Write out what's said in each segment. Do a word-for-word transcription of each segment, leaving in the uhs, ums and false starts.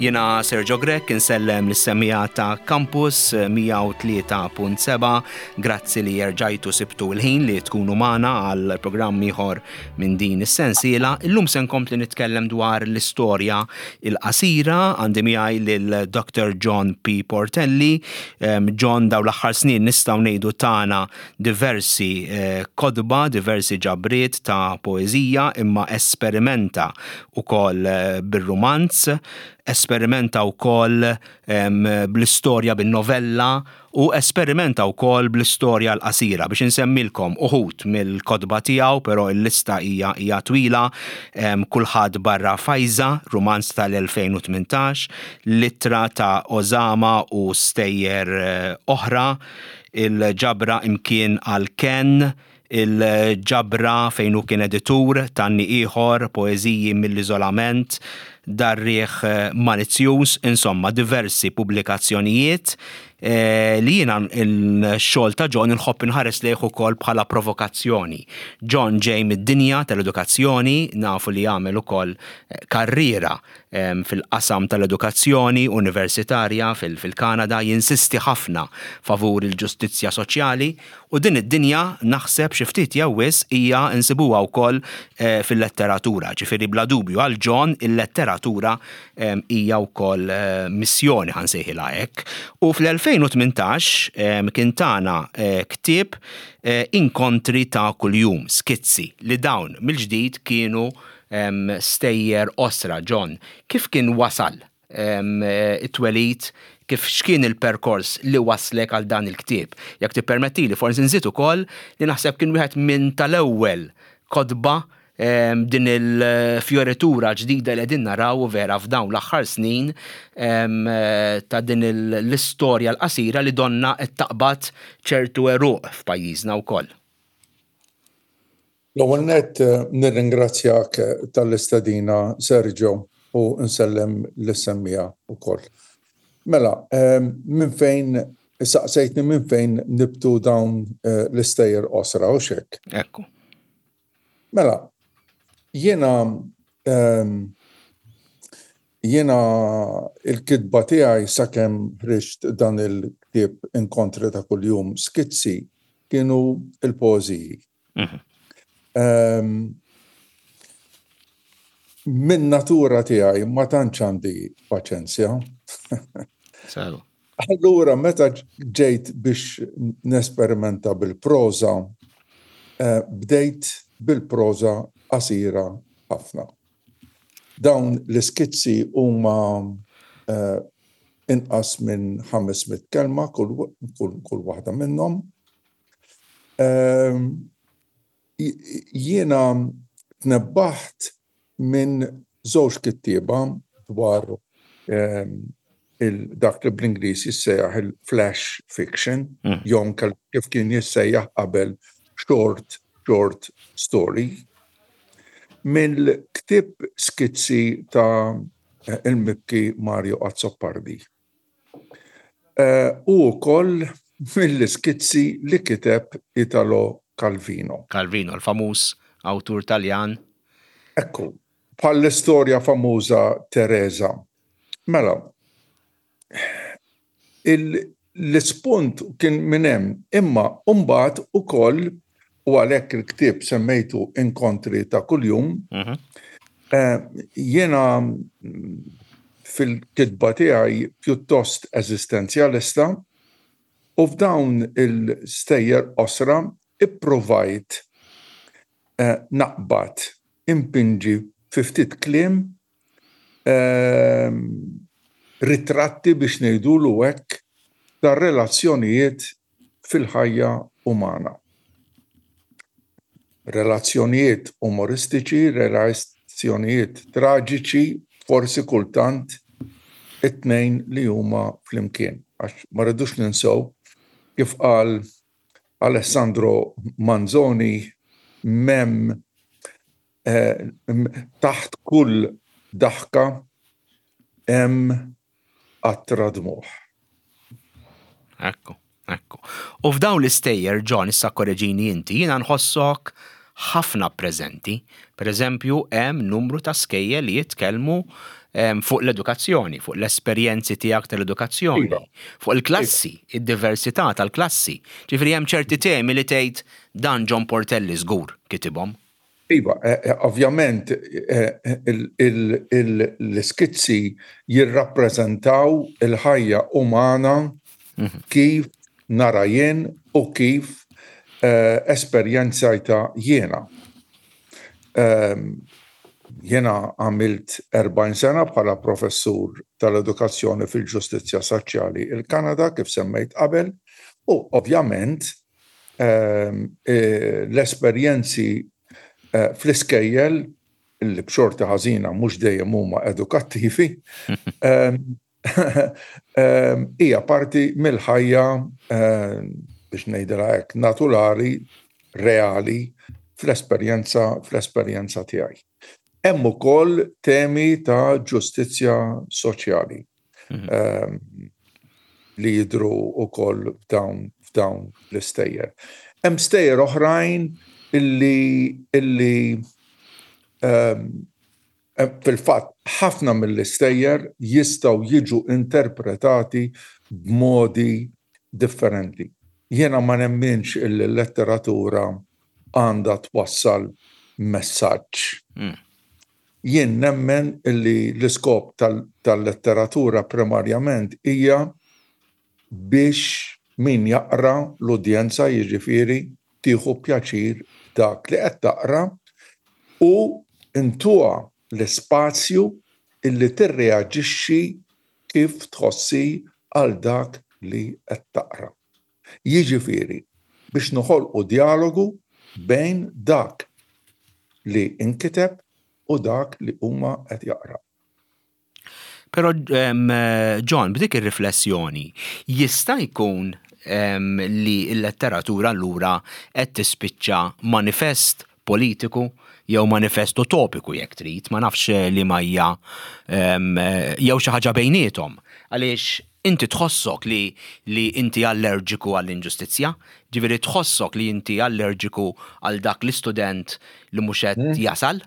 Jiena Sergio Grech insellem lis-semmiegħa ta' Campus mija u tlieta punt seba'. Grazzi li erġajtu sibtu l-ħin li tkunu magħna għal programm ieħor minn din is-sensiela. Illum se nkompli nitkellem dwar l-istorja il-qasira. Għandi miegħi lil Doctor John P. Portelli. John dawn l-aħħar snin nistgħu ngħidu tana diversi eh, kotba, diversi ġabriet ta' poeżija, imma esperimenta ukoll eh, bir-rumanz, esperimenta wkoll bl-istorja bin-novella u esperimenta wkoll bl-istorja l-qasira, biex insemmilkom uħud mill-kotba tiegħu, però l-lista hija hija twila: Kulħadd barra Fajza, rumanz tal-elfejn u tmintax, L-Ittra ta' Osama u stejjer eh, oħra, il-ġabra Imkien għal Ken, il-ġabra fejn hu kien editur Tanni Ieħor, Poeżiji mill-Iżolament, Dar-Riħ Malizzjuż, insomma diversi pubblikazzjonijiet eh, li jiena il-xogħol ta' John inħobb inħares lejh ukoll bħala provokazzjoni. John ġej mid-dinja tal-edukazzjoni, nafu li jagħmel ukoll eh, karriera fil-qasam tal-edukazzjoni universitarja fil-Kanada, jinsisti ħafna favur il-ġustizzja soċjali u din id-dinja naħseb xi ftit jew wisq hija insibuha wkoll eh, fil-letteratura. Ġifieri bla dubju għal John il-letteratura hija wkoll eh, missjoni, ħa nsejħilha hekk. U fl-elfejn u tmintax kien tana eh, ktieb Inkontri ta' Kuljum, skizzi, li dawn mill-ġdid kienu stejjer qosra. John, kif kien wasal it-twelid, kif x'kien il-perkors li waslek għal dan il-ktieb? Jekk tippermettili, forsi nżid ukoll li naħseb kien wieħed minn tal-ewwel kotba din il-fioritura ġdida li qegħdin naraw vera f'dawn l-aħħar snin ta' din l-istorja l-qasira li donna qed taqbad ċertu eruq f'pajjiżna wkoll. L-ewwel nett eh, nirringrazzjak tal-istedina, Sergio, u nsellem lis-semmiegħa ukoll. Mela, minn fejn saqsejtni minn fejn nibtu dawn eh, l-istejjer qosra u hekk? Ekku. Mela, jiena jiena il-kitba tiegħi sakemm ħriġt dan il-ktieb Inkontri ta' Kuljum skizzi kienu il-poeżiji. Mhm. Min natura tiegħi ma tantx għandi paċenzja. Allura meta ġejt biex nesperimenta bil-proza, eh, bdejt bil-proza qasira ħafna. Dawn l-iskizzi huma eh, inqas minn ħames mitt kelma kull, kull, kull waħda minnhom. Ehm, jiena tnebbaħt minn żewġ kittieba dwar ehm, dak li bl-Ingliż jissejjaħ il-flash fiction, mm. jew kif kien jissejjaħ qabel short short story. Mill-ktib Skizzi ta' il-mibki Mario Azzopardi. Uh, u wkoll mill-skizzi li kiteb Italo Calvino. Calvino, l-famuż awtur Taljan. Ekku, bħall-istorja famuża Teresa. Mela, l-ispunt kien minn hemm, imma mbagħad ukoll, u għalhekk il-ktieb semmejtu Inkontri ta' Kuljum, mhm. eh, jiena fil-kitba tiegħi pjuttost eżistenzjalista u f'dawn il-stejjer qosra ipprovajt eh, naqbad impinġi fi ftit kliem eh, ritratti, biex ngħidulu hekk, ta' relazzjonijiet fil-ħajja umana. Relazzjonijiet umoristiċi, relazzjonijiet traġiċi, forsi kultant it-tnejn li huma flimkien. Għax ma rridux ninsew, kif qal Alessandro Manzoni, mem eh, taħt kull daħka hemm qatra dmugħ. Ekku, ekku. U f'dawn l-istejjer, John, issa korreġini inti, jiena nħossok ħafna preżenti. Per eżempju, hemm numru ta' skejjel li jitkellmu fuq l-edukazzjoni, fuq l-esperjenzi tiegħek tal-edukazzjoni, Iva. fuq il-klassi, id-diversità tal-klassi. Ġifieri hemm ċerti temi li tgħid dan John Portelli żgur kitibhom. Iva, eh, eh, ovvjament eh, l-iskizzi jirrappreżentaw il-ħajja umana mhm. kif nara jien u kif esperjenzajtha jiena. Ehm, jiena għamilt erbgħin sena bħala professur tal-edukazzjoni fil-ġustizzja soċjali il-Kanada, kif semmejt qabel, u ovvjament ehm, l-esperjenzi Eh, fl-iskejjel li b'xorti ħażina mhux dejjem huma edukattivi, ehm, ehm, hija parti mill-ħajja, ehm, biex ngħidilha hekk, naturali, reali fl-esperjenza fl-esperjenza tiegħi. Hemm ukoll temi ta' ġustizzja soċjali mhm. li jidhru ukoll f'dawn f'dawn l-istejjer. Hemm stejjer oħrajn illi illi um, fil-fatt ħafna mill-istejjer jistgħu jiġu interpretati b'modi differenti. Jiena ma nemminx illi l-letteratura għandha twassal messaġġ. Mm. Jien nemmen illi l-iskop tal-letteratura primarjament hija biex min jaqra, l-udjenza jiġifieri, tieħu pjaċir dak li qed taqra u ntuha l-ispazju illi tirreaġixxi kif tħossi għal dak li qed taqra. Jiġifieri biex noħolqu dialogu bejn dak li inkiteb u dak li huma qed jaqra. Però, John, b'dik ir-riflessjoni, jista' jkun li l-letteratura allura qed tispiċċa manifest politiku jew manifest utopiku jekk trid, ma nafx li ma hija jew xi ħaġa bejniethom? Għaliex inti tħossok li li inti allerġiku għall-inġustizzja, ġifieri tħossok li inti allerġiku għal dak l-istudent li mhux qed mm. jasal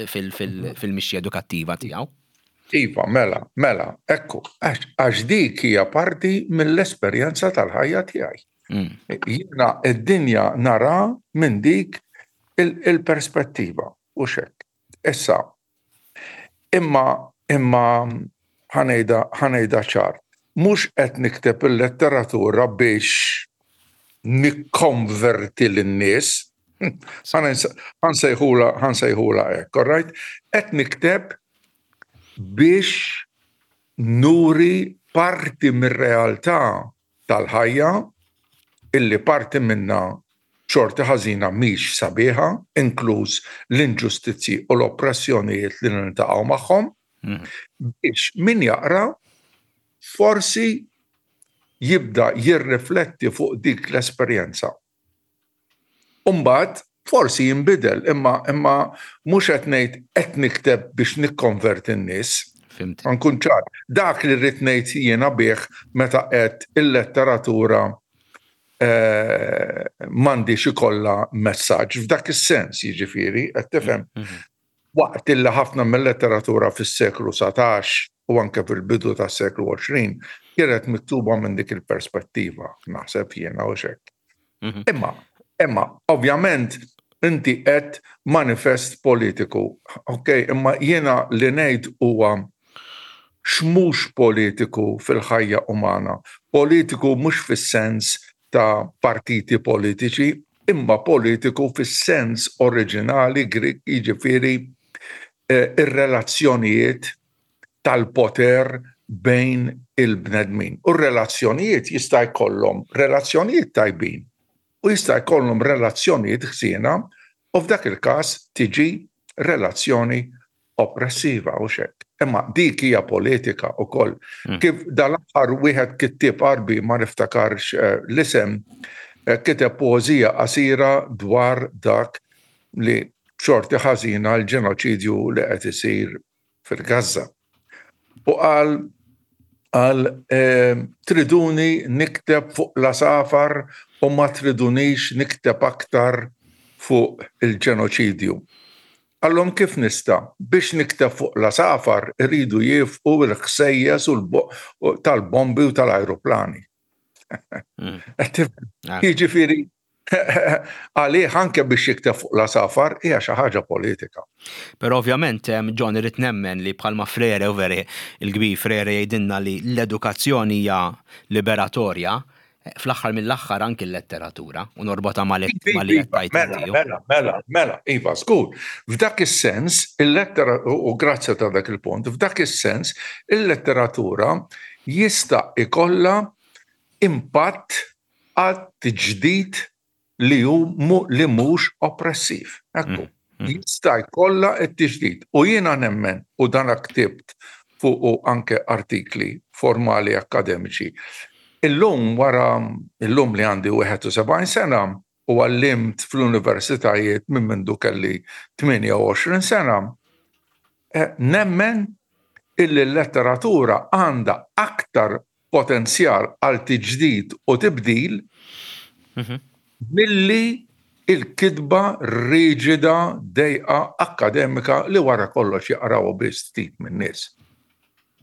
fil-mixja edukattiva tiegħu. Iva, mela, mela, ekku, għax dik hija parti mill-esperjenza tal-ħajja tiegħi. Mm. Jiena id-dinja nara minn dik il-perspettiva u xek. Issa, imma imma ħa ngħidha ħa ngħidha ċar, mhux qed nikteb il-letteratura biex nikkonverti lin-nies, ħa nsejħulha ħa nsejħulha hekk, all right? Qed nikteb biex nuri parti mir-realtà tal-ħajja illi parti minna xorti ħażina mhix sabiħa, inkluż l-inġustizzi u l-oppressjonijiet li niltaqgħu magħhom, mm. biex min jaqra forsi jibda jirrifletti fuq dik l-esperjenza. Umbagħad forsi jinbidel, imma imma mhux qed ngħid qed nikteb biex nikkonverti n-nies. Fhimt. Nkun ċar. Dak li rrid ngħid jiena bih meta qed il-letteratura eh, m'għandix ikollha messaġġ f'dak is-sens, jiġifieri, qed tifhem. Mhm. Waqt illi ħafna mill-letteratura fis-seklu satax u anke fil-bidu tas-seklu għoxrin kienet miktuba minn dik il-perspettiva, naħseb jiena u xek. Mhm. Imma, imma, ovvjament, inti qed manifest politiku, ok, imma jiena li ngħid huwa x'mhux politiku fil-ħajja umana. Politiku mhux fis-sens ta' partiti politiċi, imma politiku fis-sens oriġinali Grik, jiġifieri eh, ir-relazzjonijiet tal-poter bejn il-bnedmin. U r-relazzjonijiet jista' jkollhom relazzjonijiet tajbin u jista' jkollhom relazzjonijiet ħsiena u f'dak il-każ tiġi relazzjoni oppressiva u xek. Imma dik hija politika wkoll. Mm. Kif dal-aħħar wieħed kittieb Arbi, ma niftakarx eh, l-isem, eh, kiteb poeżija qasira dwar dak li xorti ħażina l-ġenoċidju li qed isir fil-Gaza. U qal qal eh, triduni nikteb fuq l-għasafar u ma tridunix nikteb aktar fuq il-ġenoċidju. Qallhom kif nista'? Biex nikteb fuq l-għasafar iridu jieqfu l-ħsejjes tal-bombi u tal-ajruplani. Mm. Jiġifieri għalih anke biex jikteb fuq l-għasafar hija xi ħaġa politika. Però ovvjament, John, irrid nemmen li bħalma Freire u veri il-kbir Freire jgħidilna li l-edukazzjoni hija liberatorja, fl-aħħar mill-aħħar anki l-letteratura u norbota ma' li Mela, mela, mela, mela, iva, żgur. F'dak is-sens, il-lettera, u grazzi ta' dak il-punt, f'dak is-sens, il-letteratura jista' ikollha impatt għat-tiġdid li hu li mhux oppressiv. Ekku. Mm, mm. Jista' jkollha t-tiġdid. U jiena nemmen, u dan ktibt fuq anke artikli formali akademiċi. Illum wara illum li għandi wieħed u sebgħin sena u għallimt fl-universitajiet minn mindu kelli tmienja u għoxrin sena, eh, nemmen illi l-letteratura għandha aktar potenzjal għal tiġdid u tibdil mhm. milli il-kitba riġida, dejqa, akademika li wara kollox jaqraw biss ftit minn nies.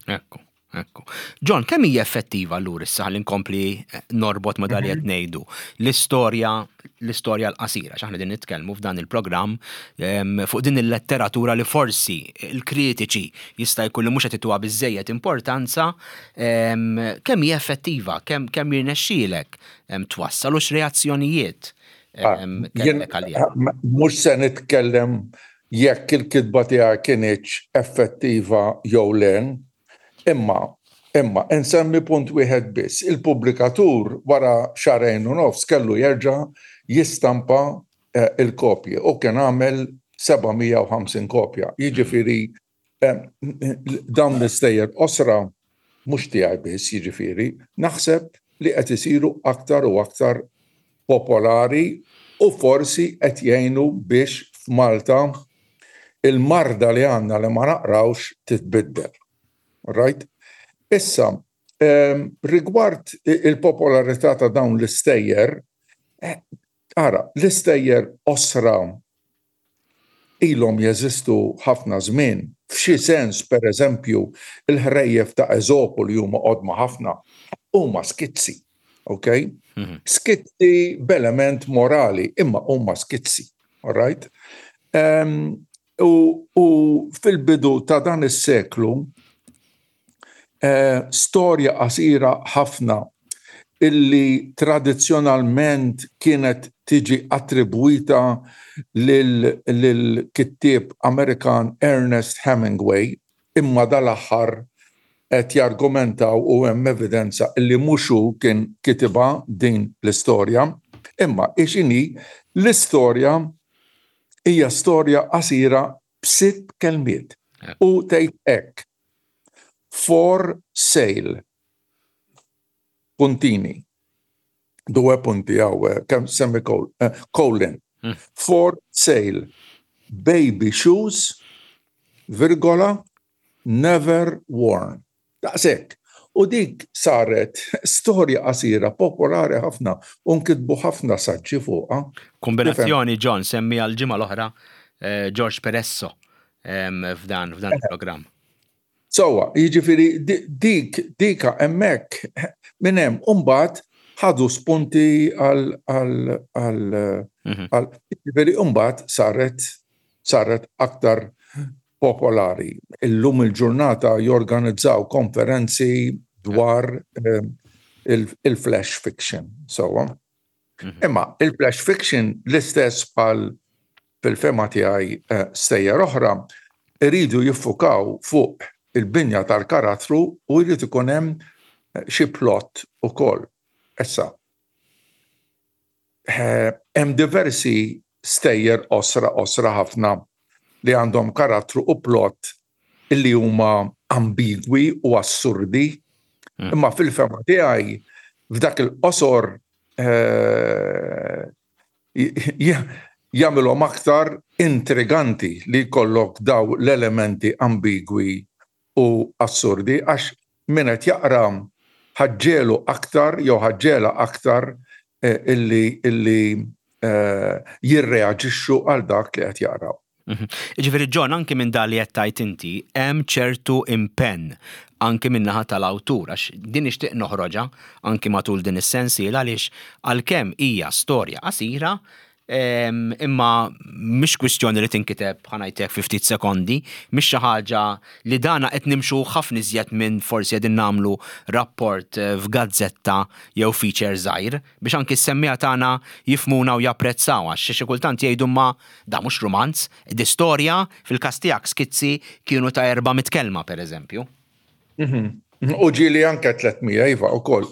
Ekku. Ekku. John, kemm hija effettiva allura issa li nkompli eh, norbot ma dak li qed mhm. ngħidu l-istorja l-istorja l-qasira, x'aħna din nitkellmu f'dan il-programm fuq din il-letteratura li forsi il-kritiċi jista' jkun li mhux qed ituha biżejjed importanza, kemm hija effettiva, kemm kemm jirnexxielek twassal u x'reazzjonijiet ah, Mhux se nitkellem jekk il-kitba tiegħek kinitx effettiva jew le. Imma, imma, insemmi punt wieħed biss. Il-pubblikatur wara xahrejn u nofs kellu jerġa' jistampa eh, il-kopji u kien għamel seba' mija u ħamsin kopja. Jiġifieri eh, dawn l-istejjer qosra mhux tiegħi biss, jiġifieri, naħseb li qed isiru aktar u aktar popolari u forsi qed jgħinu biex f'Malta il-marda li għandna li ma naqrawx titbiddel. Right? Issa, um, rigward il-popolarità ta' dawn l-istejjer, eh, ara, l-istejjer qosra ilhom jeżistu ħafna żmien. F'xi sens, per eżempju, il-ħrejjef ta' Eżopu li huma qodma ħafna, huma skizzi. Ok? Mhm. Skizzi b'element morali, imma huma skizzi. All right? Um, u, u fil-bidu ta' dan is-seklu, eh, storja qasira ħafna illi tradizzjonalment kienet tiġi attribwita lil-kittieb Amerikan Ernest Hemingway, imma dal-aħħar qed jargumentaw u hemm evidenza illi mhux hu kien kitibha din l-istorja, imma x'inhi l-istorja? Hija storja qasira b'sitt kelmiet u tgħid hekk: "For sale", puntini, due punti għaw, kem semicolon, eh, colon, hmm. "For sale, baby shoes, virgola, never worn." Daqshekk. U dik saret storja qasira popolari ħafna u nkitbu ħafna saġġi fuqha. Kombinazzjoni, John, semmi għal-ġimgħa l-oħra eh, George Peresso f'dan f'dan il-programm. Sewwa, jiġifieri dik dika hemmhekk minn hemm mbagħad ħadu spunti għal għal għal mhm. għal jiġifieri mbagħad saret saret aktar popolari. Illum il-ġurnata jorganizzaw konferenzi dwar eh, il-flash fiction. Sewwa. Mhm. Imma il-flash fiction, l-istess bħal fil-fehma tiegħi eh, stejjer oħra, iridu jiffukaw fuq il-binja tal-karattru u jrid ikun hemm eh, xi plot ukoll. Issa, eh, hemm diversi stejjer qosra qosra ħafna li għandhom karattru u plot illi huma ambigwi u assurdi, mm. imma fil-fehma tiegħi f'dak il-qosor eh, jagħmilhom aktar intriganti li jkollok daw l-elementi ambigwi u assurdi, għax min qed jaqra ħaġġelu aktar jew ħaġġela aktar eh, illi illi eh, jirreaġixxu għal dak li qed jaqraw. Mhm. Ġifieri, John, anki minn dan li qed tgħid inti, hemm ċertu impenn anki minn naħa tal-awtur, għax din nixtieq noħroġha anki matul din is-sensiela, għaliex għalkemm hija storja qasira, imma mhix kwistjoni li tinkiteb, ħa ngħidlek, fi ftit sekondi, mhix xi ħaġa li dana qed nimxu ħafna iżjed minn forsi qegħdin nagħmlu rapport eh, f'gazzetta jew feature żgħir, biex anki s-semmiegħa tagħna jifhmuna u japprezzaw, għax xi kultant jgħidu, "Ma da mhux romanz, di storja." Fil-każ tiegħek skizzi kienu ta' erba' mitt kelma, pereżempju. Mhm. U ġieli anke tliet mija, iva, ukoll.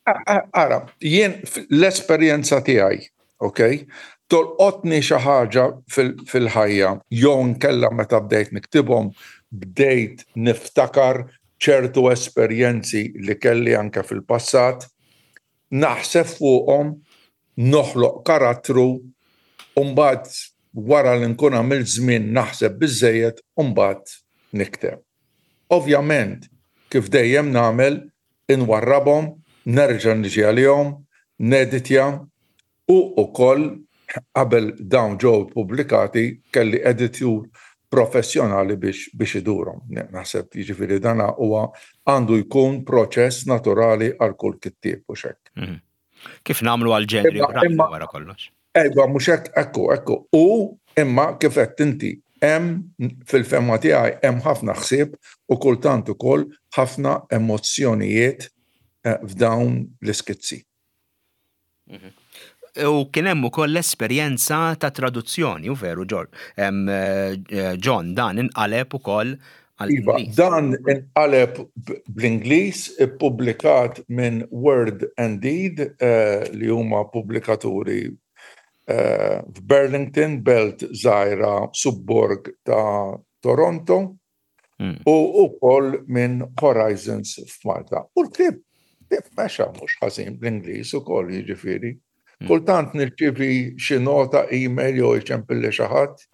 Ara, jien l-esperjenza tiegħi, ok? Tolqotni xi ħaġa fil-ħajja, jew nkella meta bdejt niktibhom, bdejt niftakar ċertu esperjenzi li kelli anke fil-passat, naħseb fuqhom, noħloq karattru, u mbagħad wara li nkun għamilt żmien naħseb biżejjed, mbagħad nikteb. Ovvjament, kif dejjem nagħmel, inwarrabhom, nerġa' niġi għalihom, neditja, u ukoll qabel dawn ġew pubblikati kelli editur professjonali biex biex idurhom. Naħseb, jiġifieri, dana huwa għandu jkun proċess naturali għal kull kittieb u hekk. Mhm. Kif nagħmlu għal ġenri wara kollox? Ejwa, mhux hekk, ekku, ekku. U imma kif qed inti, hemm, fil-fehma tiegħi, hemm ħafna ħsieb u kultant ukoll ħafna emozzjonijiet eh, f'dawn l-iskizzi. Mhm. U kien hemm ukoll l-esperjenza ta' traduzzjoni, u veru, eh, John, dan inqaleb ukoll? Iva, dan inqaleb bl-Ingliż, ippubblikat minn Word and Deed, eh, li huma pubblikaturi eh, f'Burlington, belt żgħira, subborg ta' Toronto, hmm. u ukoll minn Horizons f'Malta. U l-ktieb mexa mhux ħażin bl-Ingliż ukoll, jiġifieri. Hmm. Kultant nirċivi xi nota email jew iċempilli xi ħadd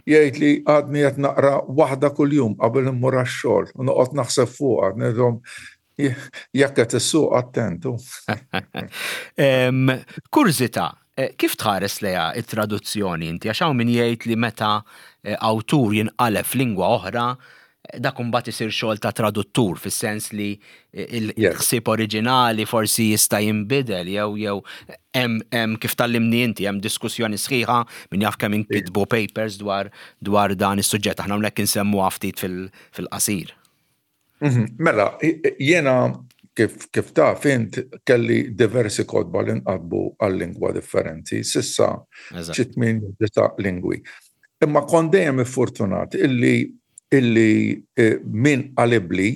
jgħid li għadni qed naqra waħda kuljum qabel immur għax-xogħol u noqgħod naħseb fuqha. Ngħidhom, jekk qed issuq, attentu. Kurżità, eh, kif tħares lejha it-traduzzjoni inti? Għax hawn min jgħid li meta eh, awtur jinqaleb f'lingwa oħra, dak imbagħad isir xogħol ta' traduttur, fis-sens li il-ħsieb oriġinali forsi jista' jinbidel jew jew hemm, kif tgħallimni inti, hemm diskussjoni sħiħa, min jaf kemm inkitbu papers dwar dwar dan is-suġġett. Aħna hawnhekk insemmu ftit fil-qasir. Mhm. Mela, jiena, kif, kif taf int, kelli diversi kotba li nqalbu għal-lingwa differenti, s'issa xi tmien, disa' lingwi. Imma kont dejjem iffortunat illi illi eh, min qalibli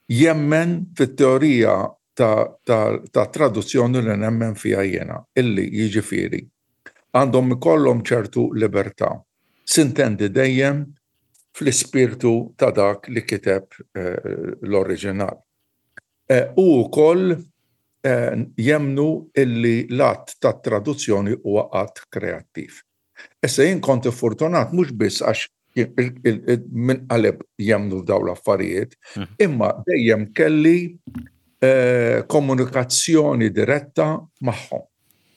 jemmen fit-teorija ta', ta, ta traduzzjoni li nemmen fija jena, illi, jiġifieri, għandhom ikollhom ċertu libertà. S'intendi dejjem fl-ispirtu ta' dak li kiteb eh, l-oriġinal. Eh, u wkoll eh, jemnu illi l-att ta' traduzzjoni huwa att kreattiv. Issa jien kont fortunat mhux biss għax min qaleb jemnu f'daw l-affarijiet, mhm. imma dejjem kelli eh, komunikazzjoni diretta magħhom.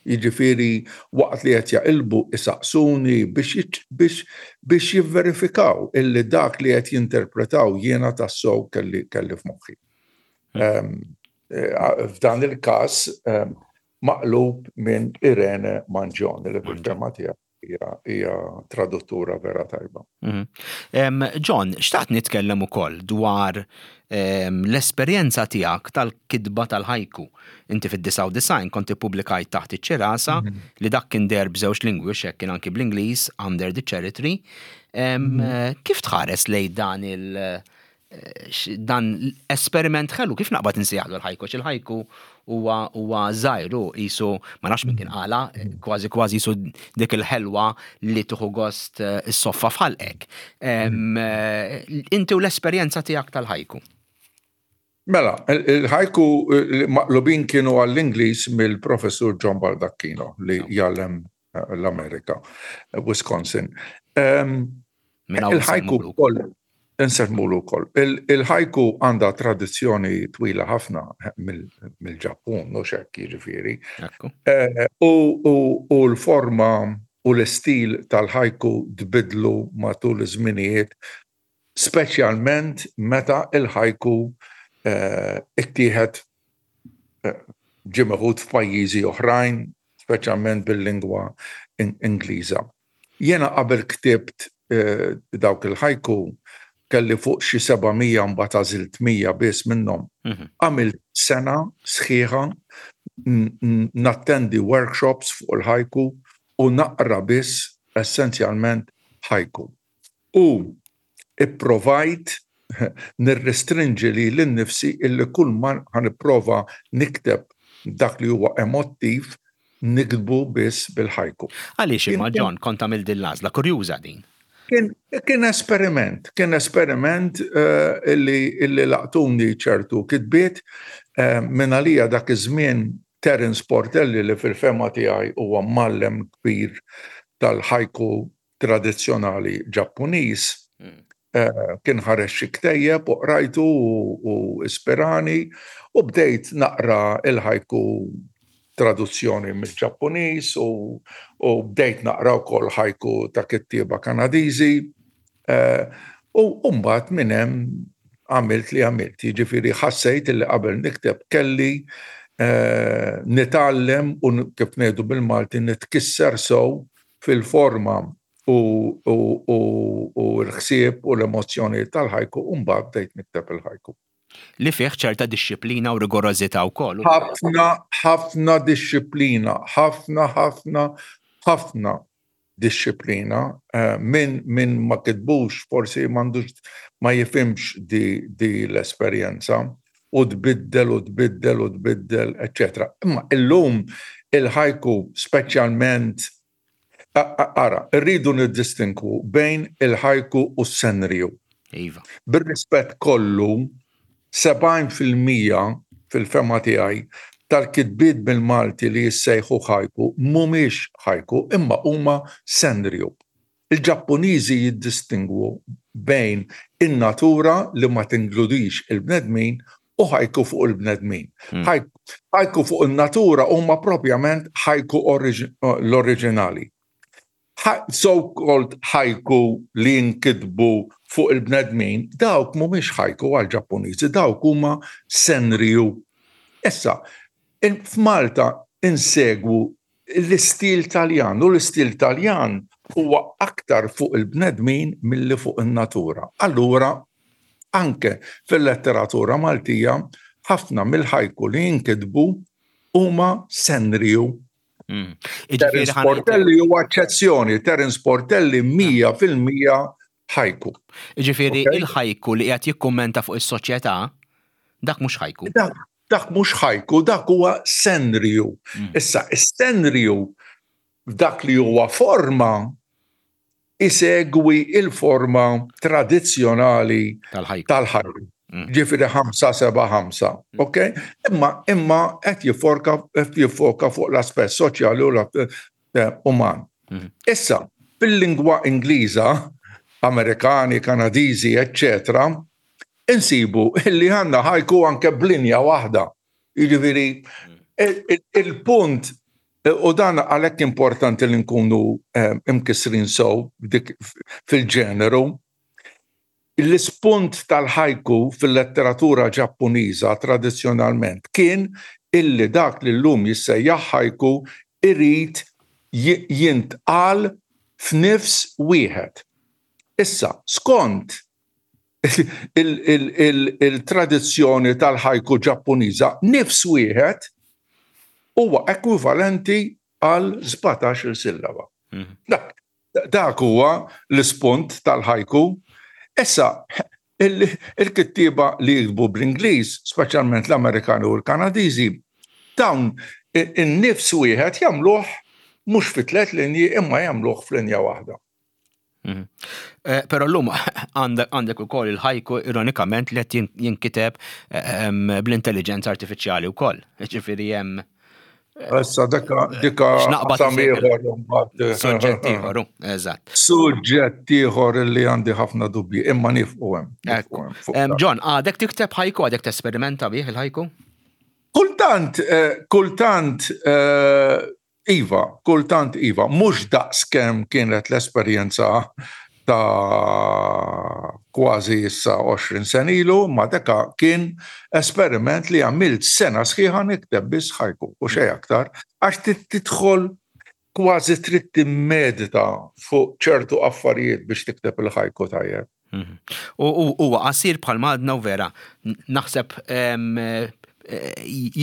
Jiġifieri, waqt li qed jaqilbu isaqsuni biex biex biex jivverifikaw illi dak li qed jinterpretaw jiena tassew kelli kelli f'moħħi. Mhm. Ehm, eh, f'dan il-każ ehm, maqlub minn Irene Mangione, li fil-fehma tiegħi hija traduttura vera tajba. Mhm. John, xtaqt nitkellem ukoll dwar l-esperjenza tiegħek tal-kitba tal-ħajku. Inti fid-disgħa u disgħin kont ippubblikajt Taħt iċ-ċirasa, mhm. li dak kien deher b'żewġ lingwi, xek kien anki bl-Ingliż, Under the Cherry Tree. Mhm. Kif tħares lej dan il- dan l-esperiment ħelu, kif naqbad insejjaħlu l-ħajku, il-ħajku huwa huwa żgħir u qisu, ma nafx min kien qala, kważi kważi qisu dik il-ħelwa li tieħu gost eh, is-soffa f'ħalqek. Eh, inti u l-esperjenza tiegħek tal-ħajku. Mela, il-ħajku maqlubin kienu għall-Ingliż mill-professur John Baldacchino li jgħallem eh, l-Amerika, Wisconsin. Il-ħajku koll insemmulu wkoll. Il-ħajku għandha tradizzjoni twila ħafna mill-Ġappun, u hekk, jiġifieri. Eh, u l-forma u l-istil tal-ħajku tbidlu matul iż-żminijiet, speċjalment meta il-ħajku eh, ittieħed eh, ġie meħud f'pajjiżi oħrajn, speċjalment bil-lingwa Ingliża. Jena qabel ktibt eh, dawk il-ħajku kelli fuq xi seba' mija, mbagħad għażilt mija biss minnhom. Mhm. Għamilt sena sħiħa nattendi workshops fuq il-ħajku u naqra biss essenzjalment ħajku. U ipprovajt nirrestrinġi lili nnifsi illi kull ma ħa nipprova nikteb dak li huwa emottiv niktbu biss bil-ħajku. Għaliex imma, John, kont għamilt din l-għażla? Kurjuża din. Kien, kien esperiment, kien esperiment uh, illi, illi laqtuni ċertu kitbiet uh, minn għalija dak iż-żmien Terence Portelli, li fil-fehma tiegħi huwa mgħallem kbir tal-ħajku tradizzjonali Ġappuniż. Mm. Uh, kien ħareġ xi ktejjeb u qrajtu u ispirani u bdejt naqra il-ħajku traduzzjoni mill-Ġappuniż u, u bdejt naqra wkoll ħajku ta' kittieba Kanadiżi eh, u mbagħad minn hemm għamilt li għamilt. Jiġifieri ħassejt li qabel nikteb kelli eh, nitgħallem u, kif ngħidu bil-Malti, nitkisser sew fil-forma u, u, u, u l-ħsieb u l-emozjoni tal-ħajku u mbagħad bdejt nikteb il-ħajku. Li fih ċerta dixxiplina u rigorożità wkoll. Ħafna, ħafna dixxiplina, ħafna, ħafna, ħafna dixxiplina. Eh, min, min ma kitbux forsi m'għandux, ma jifhimx di, di l-esperjenza u tbiddel u tbiddel u tbiddel, eċċetera. Imma illum il-ħajku speċjalment, ara, rridu niddistinku bejn il-ħajku u s-senriju. Iva. Bir-rispett kollu, sebgħin fil-mija fil-fehma tiegħi tal-kitbiet bil-Malti li jissejħu ħajku mhumiex ħajku imma huma senriju. Il-Ġappuniżi jiddistingwu bejn in-natura, li ma tinkludix il-bnedmin, u ħajku fuq il-bnedmin. Hmm. Ħajku fuq in-natura huma propjament ħajku l-oriġinali. So-called ħajku li jinkitbu fuq il-bnedmin, dawk mhumiex ħajku għal-Ġappuniżi, dawk huma senriju. Issa, f'Malta insegwu l-istil Taljan, u l-istil Taljan huwa aktar fuq il-bnedmin milli fuq in-natura. Allura, anke fil-letteratura Maltija, ħafna mill-ħajku li jinkitbu huma senriju. Mm. Terence Portelli huwa eċċezzjoni, Terence Portelli mija fil-mija ħajku. Ġifieri il-ħajku li qed jikkummenta fuq is-soċjetà, dak mhux ħajku. Dak, dak mhux ħajku, dak huwa senriju. Mm. Issa, is-senriju dak li huwa forma isegwi il-forma tradizzjonali tal-ħajku. Mm. Ġifieri ħamsa, seba', ħamsa, mm. ok? Imma imma qed jiffoka qed jiffoka fuq l-aspett soċjali u eh, uman. Mm. Issa, fil-lingwa Ingliża, Amerikani, Kanadiżi, eccetera, insibu illi għandna ħajku anke b'linja waħda. Jiġifieri il-punt, u dan għalhekk importanti li nkunu eh, imkisrin sew fil-ġeneru, l-ispunt tal-ħajku fil-letteratura Ġappuniża tradizzjonalment kien illi dak li llum jissejjaħ ħajku irid jintqal f'nifs wieħed. Issa, skont il-tradizzjoni tal-ħajku Ġappuniża, nifs wieħed huwa ekwivalenti għal sbatax-il sillaba. Mhm. Dak, dak huwa l-ispunt tal-ħajku. Issa, il-kittieba li jiktbu bl-Ingliż, speċjalment l-Amerikani u l-Kanadiżi, dawn in-nifs wieħed jagħmluh mhux fi tliet linji imma jagħmluh f'linja waħda. Mhm. Eh, però llum għandek ukoll il-ħajku ironikament li qed jinkiteb eh, bl-intelligenza artifiċjali wkoll. Ġifieri hemm Issa dika dika qasam ieħor imbagħad. Suġġett ieħor, eżatt. Suġġett ieħor li għandi ħafna dubji, imma nieqfu hemm. John, għadek tikteb ħajku, għadek tesperimenta bih il-ħajku? Kultant, eh, kultant Iva, kultant iva, mhux daqs kemm kienet l-esperjenza ta' kważi issa għoxrin sena ilu, ma deka kien esperiment li għamilt sena sħiħa nikteb biss ħajku u xejn aktar, għax tidħol kważi trid timmedita fuq ċertu affarijiet biex tikteb il-ħajku tajjeb. Mhm. U huwa qasir bħal madna u vera, naħseb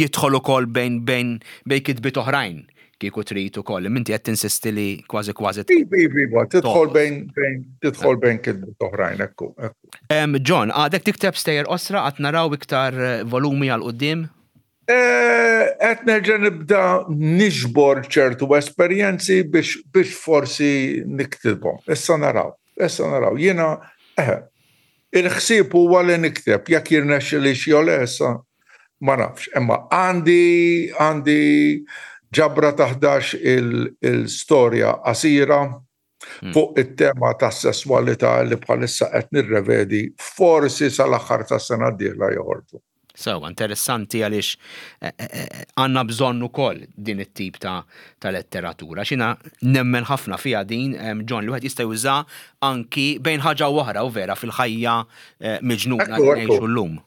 jidħol ukoll bejn bejn bejn kitbiet oħrajn kieku trid ukoll. Inti qed tinsisti li kważi kważi. Iva, iva, tidħol bejn bejn tidħol bejn kitbiet oħrajn, ekku. John, għadek tikteb stejjer qosra, qatt naraw iktar volumi għal quddiem? Qed nerġa' nibda niġbor ċertu esperjenzi biex biex forsi niktibhom. Issa naraw, issa naraw. Jiena, eh, il-ħsieb huwa li nikteb, jekk jirnexxili xi le issa ma nafx. Imma għandi għandi ġabra ta' ħdax il-storja qasira fuq it-tema ta' sesswalità li bħalissa qed nirrevedi, forsi sal-aħħar tas-sena d-dieħla joħorġu. Sewa, interessanti għaliex għandna bżonn ukoll din it-tip ta', ta letteratura. Xina nemmen ħafna fiha din, John, li wieħed jista' juża anki bejn ħaġa u oħra u vera fil-ħajja miġnuna li ngħixu llum.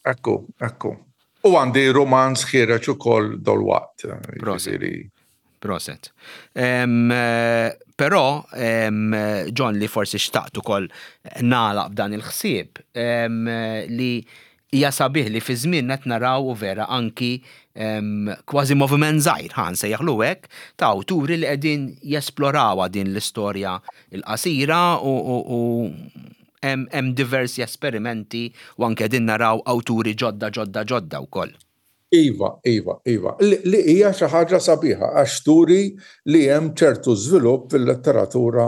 Ekku, ekku. U għandi romanz ħiereġ ukoll dolwaqt. Proset. Proset. Però, John, li forsi xtaqt ukoll nagħlaq b'dan il-ħsieb, li hija sabiħ li fi żmien qed naraw u vera anki kważi moviment żgħir, ħa nsejjaħlu hekk, ta' awturi li qegħdin jesplorawha din l-istorja l-qasira u hemm diversi esperimenti u anke qegħdin naraw awturi ġodda ġodda ġodda wkoll. Iva, iva, iva. Li hija xi ħaġa sabiħa għax turi li hemm ċertu żvilupp fil-letteratura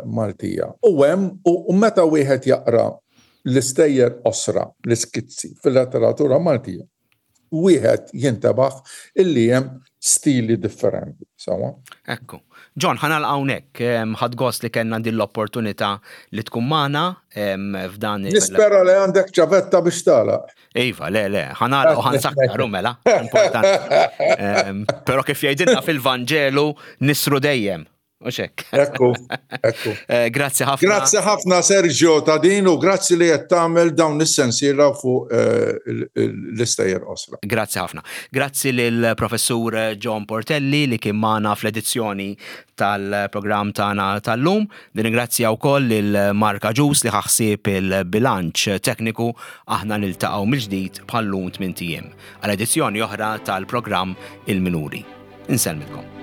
Maltija. U hemm u meta wieħed jaqra l-istejjer qosra, l-iskizzi fil-letteratura Maltija, wieħed jintebaħ illi hemm stili differenti. Sawa? Ekku. John, ħa nagħlaq hawnhekk. Ħadt gost li kellna din l-opportunità li tkun magħna f'dan il- Nispera li għandek ċavetta biex tagħlaq. Iva, le, le, ħa nagħlaq u ħa nsakkar mela, importanti. Però kif jgħidilna fil-Vanġelu nisru dejjem. U xek. Ekku, ekku. Grazzi ħafna. Grazzi ħafna Sergio ta' din u grazzi li qed tagħmel dawn is-sensiela fuq l-istejjer qosra. Grazzi ħafna. Grazzi lil Professur John Portelli li kien magħna fl-edizzjoni tal-programm tagħna tal-lum. Nirringrazzja wkoll lil Mark Agius li ħaħsieb il-bilanċ tekniku. Aħna niltaqgħu mill-ġdid bħal-lum tmint ijiem għal edizzjoni oħra tal-programm Il-Minuri. Insellmilkom.